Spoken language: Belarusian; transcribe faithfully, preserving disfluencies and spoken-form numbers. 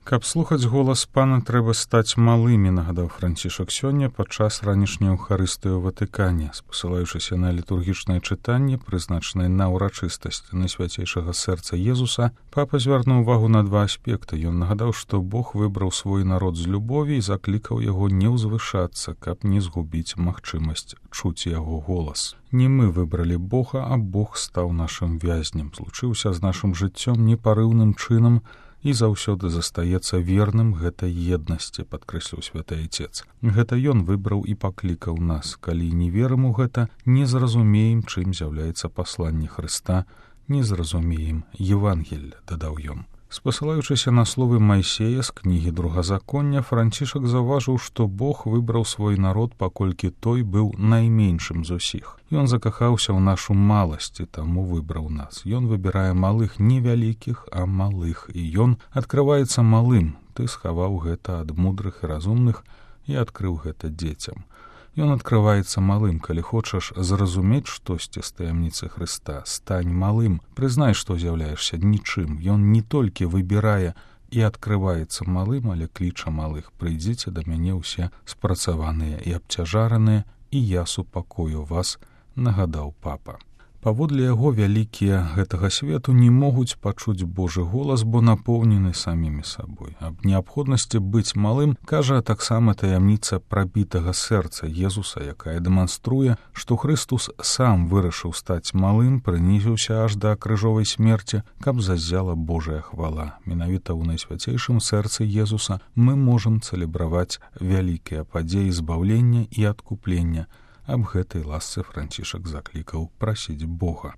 Каб слухаць голас пана, трэба стаць малымі, нагадаў Францішак сёння падчас ранішняй эўхарыстыі ў Ватыкане, спасылаючыся на літургічнае чытанне, прызначанае на ўрачыстасць Найсвяцейшага сэрца Езуса, папа звярнуў увагу на два аспекты. Ён нагадаў, што Бог выбраў свой народ з любові і заклікаў яго не ўзвышацца, каб не згубіць магчымасць чуць яго голас. Не мы выбралі Бога, а Бог стаў нашым вязнем, злучыўся з нашым жыццём непарыўным чынам і заўсёды застаецца верным гэтай еднасці, падкрэсліў святы Айцец. Гэта ён выбраў і паклікаў нас. Калі не верым у гэта, не зразумеем, чым з'яўляецца пасланне Хрыста, не зразумеем Евангелля, дадаў ён. Спасылаючыся на словы Майсея з кнігі Другазаконня, Францішак заўважыў, што Бог выбраў свой народ, паколькі той быў найменшым з усіх. Ён закахаўся ў нашу маласць, і таму выбраў нас. Ён выбірае малых не вялікіх, а малых, і ён адкрываецца малым. Ты схаваў гэта ад мудрых і разумных і адкрыў гэта дзецям. Ён адкрываецца малым. Калі хочаш зразумець штосьці з таямніцы Хрыста, стань малым, прызнай, што з'яўляешся нічым. Ён не толькі выбірае і адкрываецца малым, але кліча малых: прыйдзіце да мяне ўсе спрацаваныя і абцяжараныя, і я супакою вас, нагадаў папа. Паводле яго, вялікія гэтага свету не могуць пачуць Божы голас, бо напоўнены самімі сабой. Аб неабходнасці быць малым кажа таксама таямніца прабітага сэрца Езуса, якая дэманструе, што Хрыстус сам вырашыў стаць малым, прынізіўся аж да крыжовай смерці, каб заззяла Божая хвала. Менавіта ў Найсвяцейшым сэрцы Езуса мы можам цэлебраваць вялікія падзеі збаўлення і адкуплення. Аб гэтай ласцы Францішак заклікаў прасіць Бога.